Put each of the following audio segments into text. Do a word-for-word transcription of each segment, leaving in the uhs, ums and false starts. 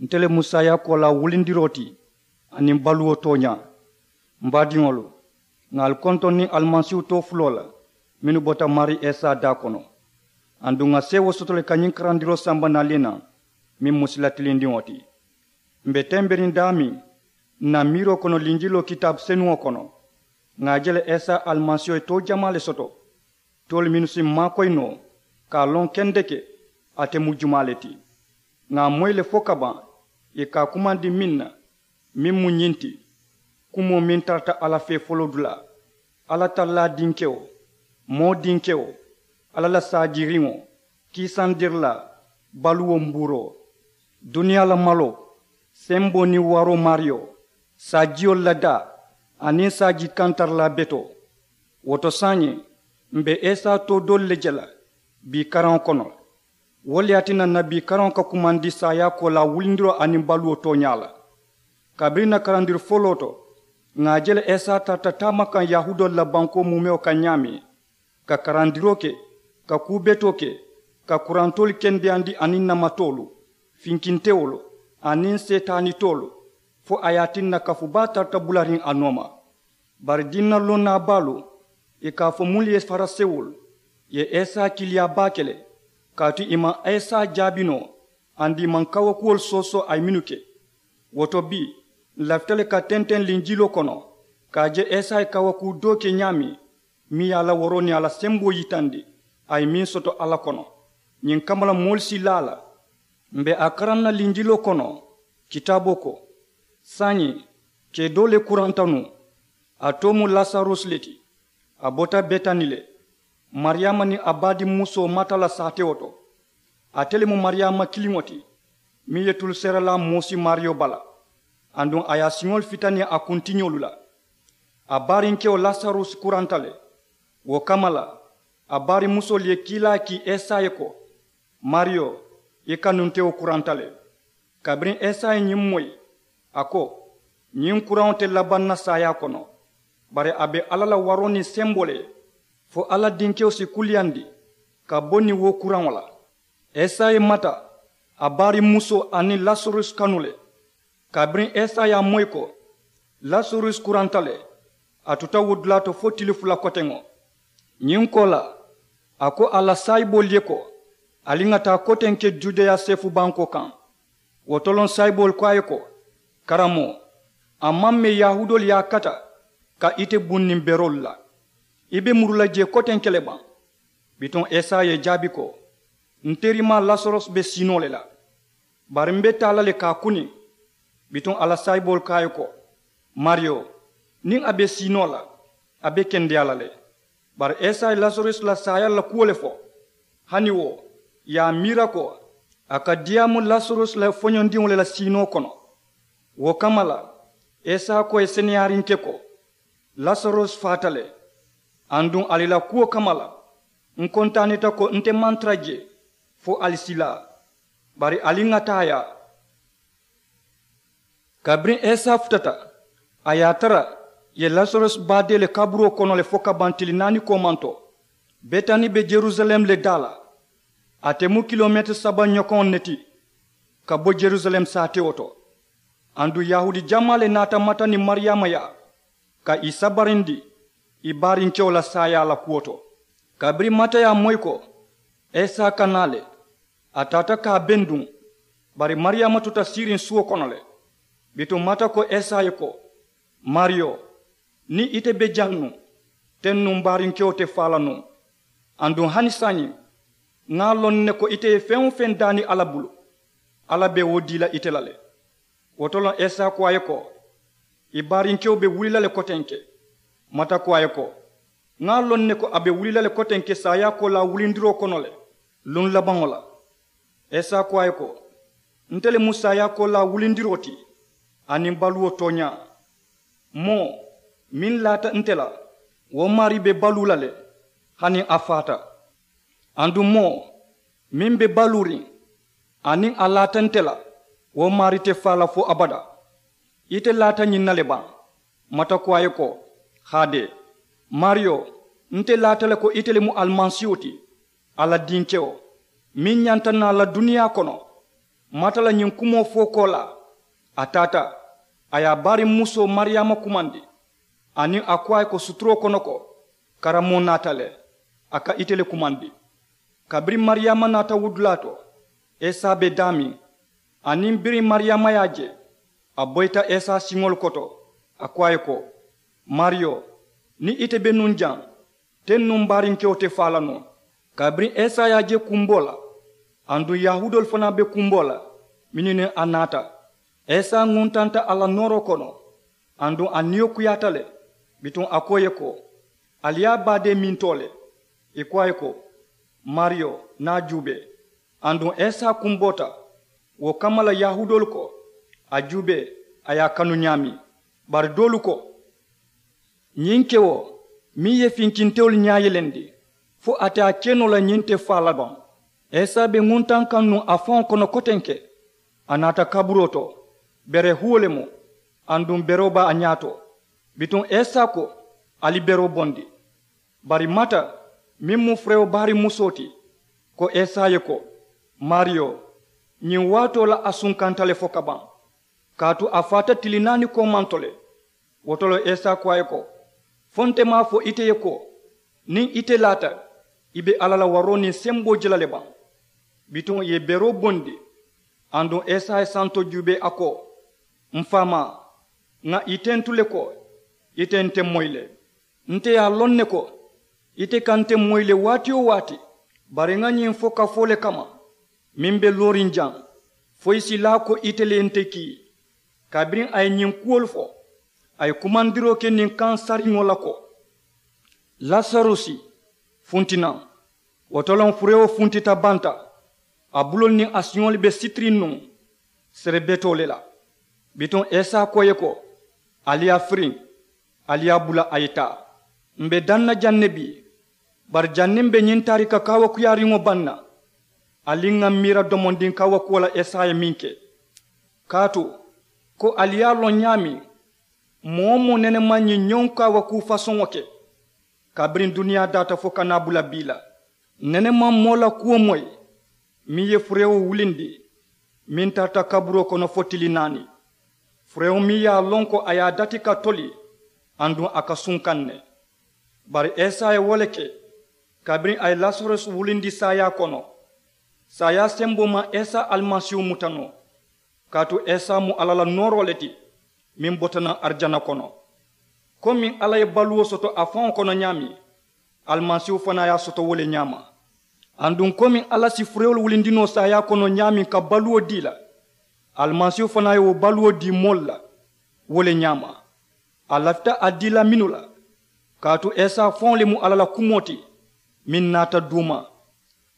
Nte le mu saayaakoo la wulindiroo ti aniŋ baluwo tooñaa. M baadiŋolu, ŋà ali kontoŋ niŋ alimasiihu too fuloo la mennu bota maarii isa daa kono. Aduŋ ŋà seewoo soto le ka ñiŋ karandiroo samba naali naŋ meŋ mu sila tilindiŋo ti. M be temberiŋ daameŋ ǹ na miiroo kono linjiloo kitaabu senuŋo kono, ŋà a je le isa alimasiiho ye too jamaa le soto, toolu mennu si m maakoyi noo ka a loŋ kendeke ate mu jumaa le ti. Ŋà a moyi le fo ka baŋ ì ka a kumandi meŋ na, meŋ mu ñiŋ ti, kumoo meŋ tarata alla fee foloodulaa, alla tallaa dinkewo, moo dinkewo, alla la saajiiriŋo, kiisandirilaa, baluwo mbuuroo, duniyaa la maloo, semboo niŋ waroo maariyo, saajiyolu la daa aniŋ saaji kantarilaa betoo. Wo to saayiŋ, m be isa too doolu le je la bii karaŋo kono le. Wo le ye a tinna ǹ na bii karaŋo ka kumandi saayaakoo la wulindiroo aniŋ baluwo tooñaa la. Kabiriŋ ǹ na karandiri foloo to, ŋà a je le isa tarata taama kaŋ yahuudoolu la bankoo muumewo kaŋ ñaameŋ, ka karandiroo ke, ka kuu betoo ke, ka kurantoolu kendeyandi aniŋ namatoolu, finkintewolu, aniŋ seetaanitoolu, fo a ye a tinna kafu baa tarata bulariŋ a nooma. Bari diina lonnaa baalu, ì ka a fo munnu ye farisewolu, ye isa kiiliyaa baake le, kaatu ì maŋ isa jaabi noo, aduŋ ì maŋ kawakuwolu soosoo a ye mennu ke. Wo to bii, ǹ lafita le ka tenteŋ linjiloo kono, ka a je isa ye kawakuu doo ke ñaameŋ, meŋ ye a la waroo niŋ a la semboo yitandi, a ye meŋ soto alla kono. Ñiŋ kamma la moolu si laa a la. M be a karaŋ na linjiloo kono, kitaaboo ko, saayiŋ, kee doo le kuranta nuŋ. A too mu lasarusi le ti. A bota betani le, mariyaama niŋ a baadiŋ musoo mata la saatewo to. Ate le mu mariyaama kiliŋo ti, meŋ ye tuluseeralaa moosi maariyo bala, aduŋ a ye a siŋolu fitani a kuntiñolu la. A baarinkewo lasarusi kuranta le. Wo kamma la, a baarimusoolu ye kiilaa kii isa ye ko, maariyo, i kanuntewo kuranta le. Kabiriŋ isa ye ñiŋ moyi, a ko, ñiŋ kuraŋo te labaŋ na saayaa kono, bari a be alla la waroo niŋ semboo le ye, fo alla dinkewo si kuliyandi ka bo niŋ wo kuraŋo la. Isa ye mata, a baarimusoo aniŋ lasarusi kanu le. Kabiriŋ isa ye a moyi ko, lasarusi kuranta le, a tuta wo dulaa to fo tili fula koteŋo. Ñiŋ koolaa, a ko a la saayiboolu ye ko, ali ŋà taa kotenke judeya seefu bankoo kaŋ. Wo toloŋ saayiboolu ko a ye ko, karamoo, a maŋ mee yahuudoolu ye a kata ka ite buŋ niŋ beroolu la, i be muru la jee kotenke le baŋ? Bituŋ isa ye i jaabi ko, n terimaa lasarusi be sii noo le la, bari m be taa la le ka a kuni. Bituŋ a la saayiboolu ko a ye ko, maariyo, niŋ a be sii noo la, a be kendeyaa la le. Bari isa ye lasarusi la saayaa la kuwo le fo. Hani wo, ì ye a miira ko, a ka diyaamu lasarusi la foñondiŋo le la siinoo kono. Wo kamma la, isa ko ì seneyaariŋ ke ko, lasarusi faata le. Aduŋ ali la kuwo kamma la, n kontaanita ko n te maŋ tara jee fo ali si laa. Bari ali ŋà taa yaa. Kabiriŋ isa futata, a ye a tara ì ye lasarusi baadee le kaburoo kono le fo ka baŋ tili naani koomanto. Betani be yerusalem le daa la. A te mu kilomeetiri saba ñokoŋo ne ti ka bo yerusalem saatewo to. Aduŋ yahuudi jamaa le naata mata niŋ mariyaama yaa ka ì sabarindi ì baarinkewo la saayaa la kuwo to. Kabiriŋ mata ye a moyi ko isa ka naa le, a taata ka a benduŋ. Bari mariyaama tuta siiriŋ suwo kono le. Bituŋ mata ko isa ye ko, maariyo, niŋ ite be jaŋ nuŋ, teŋ nuŋ m baarinkewo te faa la nuŋ. Aduŋ hani saayiŋ, ŋa a loŋ ne ko ite ye feŋ-wo-feŋ daani alla bulu, alla be wo dii la ite la le. Wo to loŋ isa ko a ye ko, i baarinkewo be wuli la le kotenke. Mata ko a ye ko, ŋa a loŋ ne ko a be wuli la le kotenke saayaakoo la wulindiroo kono le, luŋ labaŋo la. Isa ko a ye ko, nte le mu saayaakoo la wulindiroo ti aniŋ baluwo tooñaa. Moo meŋ laata nte la, wo maarii be baluu la le, hani a faata. Aduŋ moo meŋ be baluuriŋ, aniŋ a laata nte la, wo maarii te faa la fo abadaa. Ite laata ñiŋ na le baŋ? Mata ko a ye ko, haadee, maariyo, nte laata le ko ite le mu alimasiihu ti, alla dinkewo, meŋ ñanta naa la duniyaa kono. Mata la ñiŋ kumoo fo koolaa. A taata, a ye a baariŋ musoo mariyaama kumandi, aniŋ a ko a ye ko suturoo kono ko, karamoo naata le, a ka ite le kumandi. Kabiriŋ mariyaama naata wudulaa to, isa be daameŋ, aniŋ biriŋ mariyaama ye a je, a boyita isa siŋolu koto, a ko a ye ko, maariyo, niŋ ite be nuŋ jaŋ, teŋ nuŋ baarinkewo te faa la noo. Kabiriŋ isa ye a je kumboo la, aduŋ yahuudoolu fanaa be kumboo la mennu niŋ a naata, isa ŋuntanta a la nooroo kono, aduŋ a niyo kuyaata le. Bituŋ a ko ì ye ko, ali ye a baadee mintoo le. Ì ko a ye ko, maariyo, niŋ a juubee. Aduŋ isa kumboota. Wo kamma la yahuudoolu ko, a juubee, a ye a kanu ñaameŋ. Bari doolu ko, ñiŋ kewo meŋ ye finkintewolu ñaa yelendi, fo a te a ke noo la ñiŋ te faa la baŋ? Isa be ŋuntaŋ kaŋ nuŋ a faŋo kono kotenke. A naata kaburoo to, bere huwo le mu. Aduŋ beroo be a ñaa to. Bituŋ isa ko, ali beroo bondi. Bari mata, meŋ mu furewo baari musoo ti, ko isa ye ko, maariyo, ñiŋ waatoo la a sunkanta le fo ka baŋ, kaatu a faata tili naani koomanto le. Wo to le isa ko a ye ko, fo nte maŋ a fo ite ye ko, niŋ ite laata, i be alla la waroo niŋ semboo je la le baŋ? Bituŋ ì ye beroo bondi. Aduŋ isa ye santo juubee a ko, m faamaa, ŋà ì tentu le ko, ite nte moyi le. Nte ye a loŋ ne ko, ite ka nte moyi le waati-wo-waati. Bari ŋa ñiŋ fo kafoo le kamma, meŋ be looriŋ jaŋ, fo ì si laa ko ite le ye nte kii. Kabiriŋ a ye ñiŋ kuwolu fo, a ye kumandiroo ke niŋ kaŋ sariŋo la ko, lasarusi, funti naŋ. Wo to loŋ furewo funtita banta. A buloolu niŋ a siŋolu be sitiriŋ nuŋ serebetoo le la. Bituŋ isa ko ì ye ko, ali ye a firiŋ, ali ye a bula a ye taa. M be daŋ na jaŋ ne bii. Bari janniŋ m be ñiŋ taarika kaawakuyaariŋo baŋ na, ali ŋà m miira domondiŋ kaawakuwo la isa ye meŋ ke. Kaatu, ko ali ye a loŋ ñaameŋ, moo-wo-moo nene maŋ ñiŋ ñoŋ kaawakuu fasoŋo ke, kabiriŋ duniyaa daata fo ka naa bula bii la. Nene maŋ moo la kuwo moyi, meŋ ye furewo wulindi, meŋ tarata kaburoo kono fo tili naani. Furewo meŋ ye a loŋ ko a ye a dati ka toli, aduŋ a ka sunkaŋ ne. Bari isa ye wo le ke. Kabiriŋ a ye lasarusi wulindi saayaa kono, saayaa semboo maŋ isa alimasiihu muta noo. Kaatu isa mu alla la nooroo le ti, meŋ bota naŋ arijana kono. Komiŋ alla ye baluwo soto a faŋo kono ñaameŋ, alimasiihu fanaa ye a soto wo le ñaama. Aduŋ komiŋ alla si furewolu wulindi noo saayaa kono ñaameŋ ka baluwo dii la, alimasiihu fanaa ye wo baluwo dii moolu la wo le ñaama. A lafita a dii la mennu la, kaatu isa faŋo le mu alla la kumoo ti, meŋ naata duuma.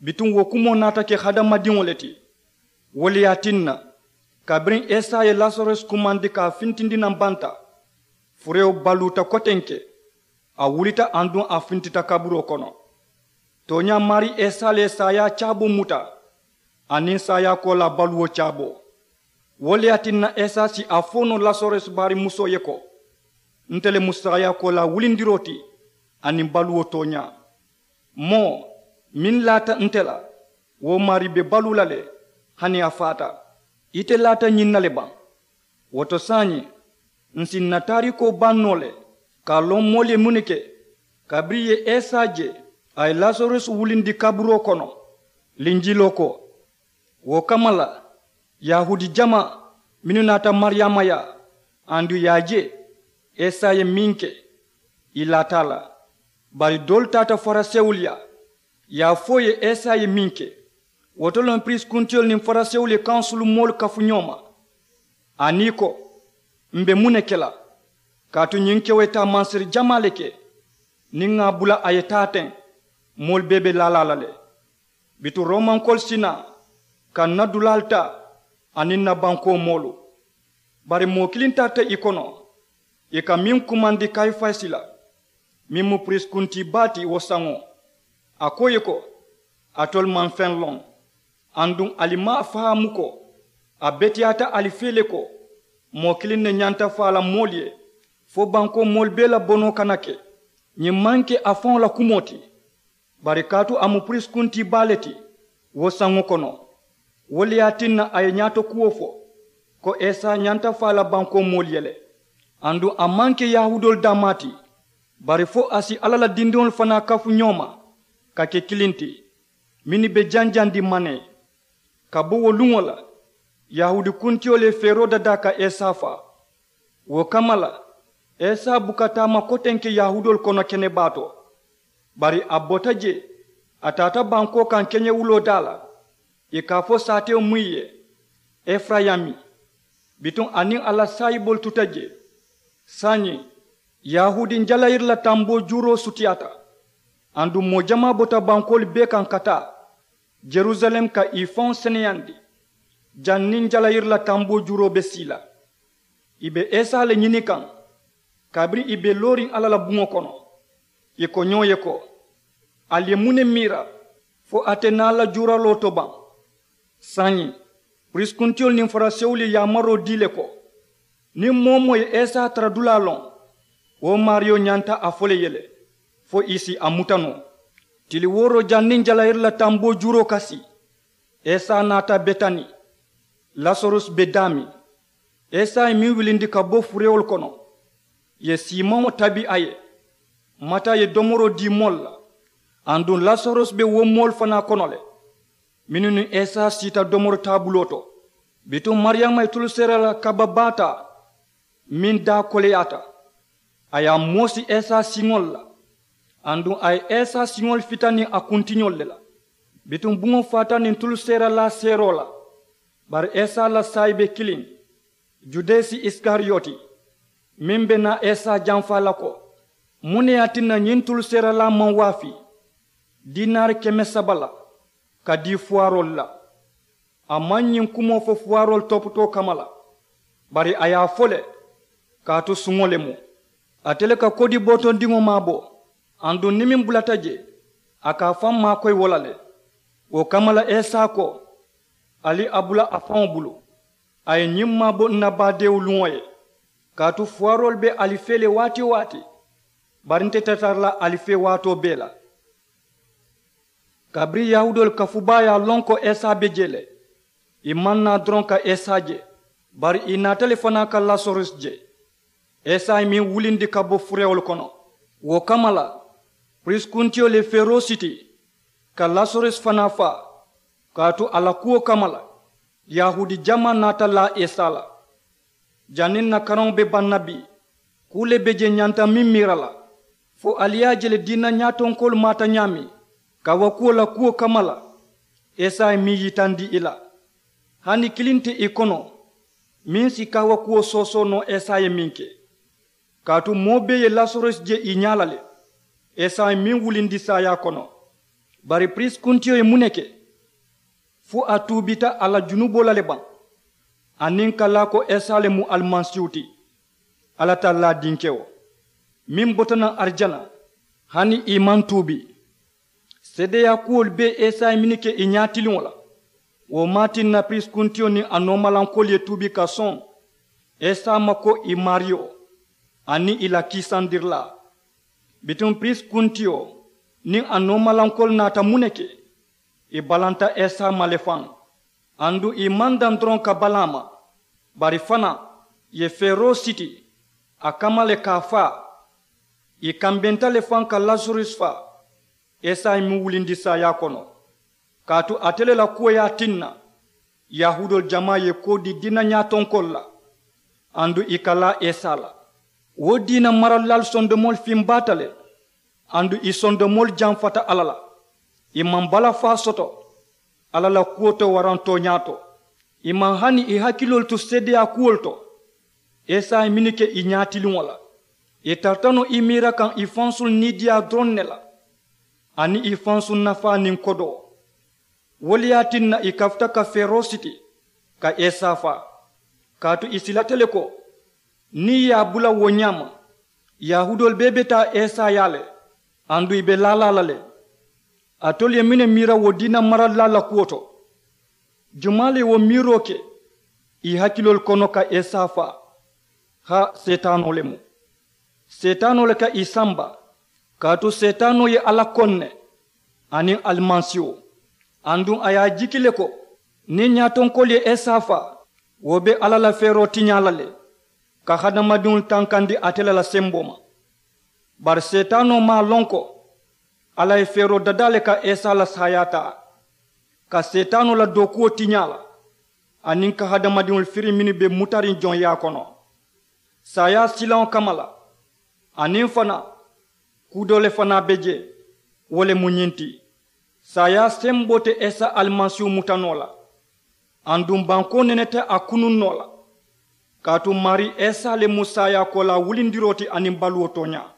Bituŋ wo kumoo naata ke hadamadiŋo le ti. Wo le ye a tinna, kabiriŋ isa ye lasarusi kumandi ka a fintindi naŋ banta, furewo baluuta kotenke. A wulita aduŋ a fintita kaburoo kono. Tooñaa maarii isa le ye saayaa caaboo muta, aniŋ saayaa koolaa baluwo caaboo. Wo le ye a tinna isa si a fo noo lasarusi baari musoo ye ko, nte le mu saayaa koolaa wulindiroo ti, aniŋ baluwo tooñaa. Moo meŋ laata nte la, wo maarii be baluu la le, hani a faata. Ite laata ñiŋ na le baŋ? Wo to saayiŋ, ǹ si ǹ na taariikoo baŋ noo le, ka a loŋ moolu ye muŋ ne ke kabiriŋ ì ye isa je a ye lasarusi wulindi kaburoo kono. Linjiloo ko, wo kamma la, yahuudi jamaa mennu naata mariyaama yaa, aduŋ ì ye a je isa ye meŋ ke, ì laata a la. Bari doolu taata farisewolu yaa, ì ye a fo ì ye isa ye meŋ ke. Wo to loŋ piriisi kuntiyolu niŋ farisewolu ye kansulu moolu kafu ñoo ma, aniŋ ì ko, m̀ be muŋ ne ke la? Kaatu ñiŋ kewo ye taa mansiri jamaa le ke. Niŋ ŋà a bula a ye taa teŋ, moolu bee be laa la a la le. Bituŋ roomankoolu si naa ka ǹ na dulaalu taa, aniŋ ǹ na bankoo moolu. Bari moo kiliŋ tarata ì kono, ì ka meŋ kumandi kayifasi la, meŋ mu piriisi kuntii baa ti wo saŋo. A ko ì ye ko, alitolu maŋ feŋ loŋ, aduŋ ali maŋ a fahaamu ko a beteyaata ali fee le ko moo kiliŋ ne ñanta faa la moolu ye, fo bankoo moolu bee la bonoo kana ke. Ñiŋ maŋ ke a faŋo la kumoo ti, bari kaatu a mu piriisi kuntii baa le ti wo saŋo kono. Wo le ye a tinna a ye ñaato kuwo fo ko esa ñanta faa la bankoo moolu ye le. Aduŋ a maŋ ke yahuudoolu daamaa ti, bari fo a si alla la dindiŋolu fanaa kafu ñoo ma ka ke kiliŋ ti, mennu be janjandi manee. Ka bo wo luŋo la, yahuudi kuntiyo le feeroo dadaa ka esa faa. Wo kamma la, esa buka taama kotenke yahuudoolu kono kenebaa to. Bari a bota jee, a taata bankoo kaŋ keñewuloo daa la, ì ka a fo saatewo muŋ ye, efurayimi. Bituŋ a niŋ a la saayiboolu tuta jee. Saayiŋ, yahuudi jalayiri la tamboo juuroo sutiyaata. Aduŋ moo jamaa bota bankoolu bee kaŋ ka taa yerusaleemu ka ì faŋo seneyandi. Janniŋ jalayiri la tamboo juuroo be sii la, ì be esa le ñini kaŋ. Kabiriŋ ì be looriŋ alla la buŋo kono, ì ko ñoo ye ko, ali ye muŋ ne miira fo a te naa la juuraloo to baŋ? Saayiŋ, piriisi kuntiyolu niŋ farisewolu ye yaamaroo dii le ko, niŋ moo-wo-moo ye esa tara dulaa loŋ, wo maariyo ñanta a fo le ye le, fo ì si a muta noo. Tili wooroo janniŋ jalayiri la tamboo juuroo ka sii, esa naata betani. Lasarusi be daameŋ. Esa ye meŋ wilindi ka bo furewolu kono, ì ye siimaŋo tabi a ye. Mata ye domoroo dii moolu la. Aduŋ lasarusi be wo moolu fanaa kono le, mennu niŋ esa siita domori taabuloo to. Bituŋ mariyama ye tulu seera la kaba baa taa, meŋ daa koleyaata. A ye a moosi esa siŋolu la. Aduŋ a ye esa siŋolu fita niŋ a kuntiñolu le la. Bituŋ buŋo faata niŋ tulu seeralaa seeroo la. Bari esa la saayi be kiliŋ, judasi isikariyoti, meŋ be naa esa janfaa la ko, muŋ ne ye a tinna ñiŋ tulu seeralaa maŋ waafi diinaari keme saba la ka dii fuwaaroolu la? A maŋ ñiŋ kumoo fo fuwaaroolu toputoo kamma la, bari a ye a fo le kaatu suŋo le mu. Ate le ka kodi bootondiŋo maabo. Aduŋ niŋ meŋ bulata jee, a ka a faŋ maakoyi wo la le. Wo kamma la esa ko, ali a bula a faŋo bulu. A ye ñiŋ maabo n na baadeewu luŋo ye. Kaatu fuwaaroolu be ali fee le waati-wo-waati, bari nte te tara la ali fee waatoo bee la. Kabiriŋ yahuudoolu kafubaa ye a loŋ ko esa be jee le, ì maŋ naa doroŋ ka esa je, bari ì naata le fanaa ka lasarusi je. Esa ye meŋ wulindi ka bo furewolu kono. Wo kamma la, piriisi kuntiyo le feeroo siti ka lasarusi fanaa faa. Kaatu a la kuwo kamma la, yahuudi jamaa naata laa esa la. Janniŋ n na karaŋo be baŋ na bii, kuu le be jee ñanta meŋ miira la, fo ali ye a je le diina ñaatonkoolu maata ñaameŋ kaawakuwo la kuwo kamma la. Esa ye meŋ yitandi ì la, hani kiliŋ te ì kono meŋ si kaawakuwo soosoo noo esa ye meŋ ke. Kaatu moo bee ye lasarusi je ì ñaa la le. Esa ye meŋ wulindi saayaa kono. Bari piriisi kuntiyo ye muŋ ne ke? Fo a tuubita a la junuboo la le baŋ, aniŋ ka laa ko esa le mu alimasiihu ti, alla tallaa dinkewo, meŋ bota naŋ arijana, hani ì maŋ tuubi? Seedeyaa kuwolu bee esa ye mennu ke ì ñaatiliŋo la, wo maŋ a tinna piriisi kuntiyo niŋ a noomalankoolu ye tuubi ka soŋ esa ma ko ì maariyo aniŋ ì la kiisandirilaa. Bituŋ piriisi kuntiyo niŋ a noomalankoolu naata muŋ ne ke? Ì balanta esa ma le faŋ. Aduŋ ì maŋ daŋ doroŋ ka balaa ma, bari fanaa ì ye feeroo siti a kamma le ka a faa. Ì kambenta le faŋ ka lasarusi faa. Esa ye meŋ wulindi saayaa kono, kaatu ate le la kuwo ye a tinna yahuudoolu jamaa ye koo dii diina ñaatonkoolu la, aduŋ ì ka laa esa la. Wo diina maralilaalu sondomoolu fimbaata le, aduŋ ì sondomoolu janfata alla la. Ì maŋ balafaa soto alla la kuwo to waraŋ tooñaa to. Ì maŋ hani ì hakiloolu tu seedeyaa kuwolu to. Esa ye mennu ke ì ñaatiliŋo la, ì tarata noo ì miira kaŋ ì fansuŋ niidiyaa doroŋ ne la, aniŋ ì fansuŋ nafaa niŋ kodoo. Wo le ye a tinna ì kafuta ka feeroo siti ka esa faa, kaatu ì silata le ko niŋ ì ye a bula wo ñaama, yahuudoolu bee be taa esa yaa le, aduŋ ì be laalaa la le. Alitolu ye muŋ ne miira wo diina maralilaalu la kuwo to? Jumaa le ye wo miiroo ke ì hakiloolu kono ka esa faa? Haa, seetaanoo le mu. Seetaanoo le ka ì samba, kaatu seetaanoo ye alla koŋ ne aniŋ alimasiiwo. Aduŋ a ye a jiki le ko Niŋ ñaatonkoolu ye esa faa, wo be alla la feeroo tiñaa la le, ka hadamadiŋolu tankandi ate le la semboo ma. Bari seetaanoo maŋ a loŋ ko alla ye feeroo dadaa le ka esa la saayaa taa, ka seetaanoo la dookuwo tiñaa la, aniŋ ka hadamadiŋolu firiŋ mennu be mutariŋ joŋyaa kono. Saayaa silaŋo kamma la, aniŋ fanaa kuu doo le fanaa be jee. Wo le mu ñiŋ ti, saayaa semboo te esa alimasiihu muta noo la, aduŋ bankoo nene te a kunuŋ noo la. Kaatu maarii esa le mu saayaakoolaa wulindiroo ti aniŋ baluwo tooñaa.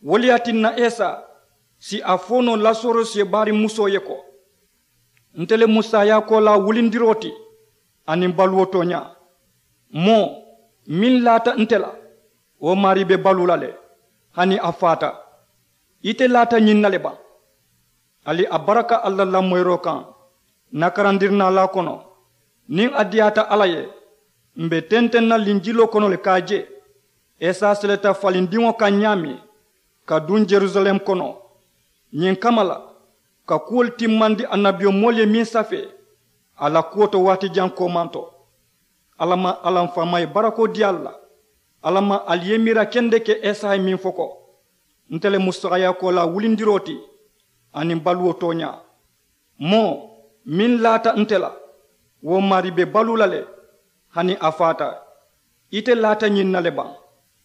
Wo le ye a tinna esa si a fo noo lasorosi ye baariŋ musoo ye ko, nte le mu saayaakoolaa wulindiroo ti aniŋ baluwo tooñaa. Moo meŋ laata nte la, wo maarii be baluu la le, hani a faata. Ite laata ñiŋ na le baŋ? Ali a baraka alla la lamoyiroo kaŋ, n na karandirinaalaa kono, niŋ a diyaata alla ye, m̀ be tenteŋ na linjiloo kono le ka a je esa seleta falindiŋo kaŋ ñaameŋ, ka duŋ jerusalem kono. Ñiŋ kamma la, ka kuwolu timmandi annabiyomoolu ye meŋ safee a la kuwo to waati jaŋ koomaŋ to. Alla maŋ alla m faama ye barakoo dii ali la. Alla maŋ ali ye miira kendeke esa ye meŋ fo ko, nte le mu saayaakoolaa wulindiroo ti aniŋ baluwo tooñaa. Moo meŋ laata nte la, wo maarii be baluu la le, hani a faata. Ite laata ñiŋ na le baŋ?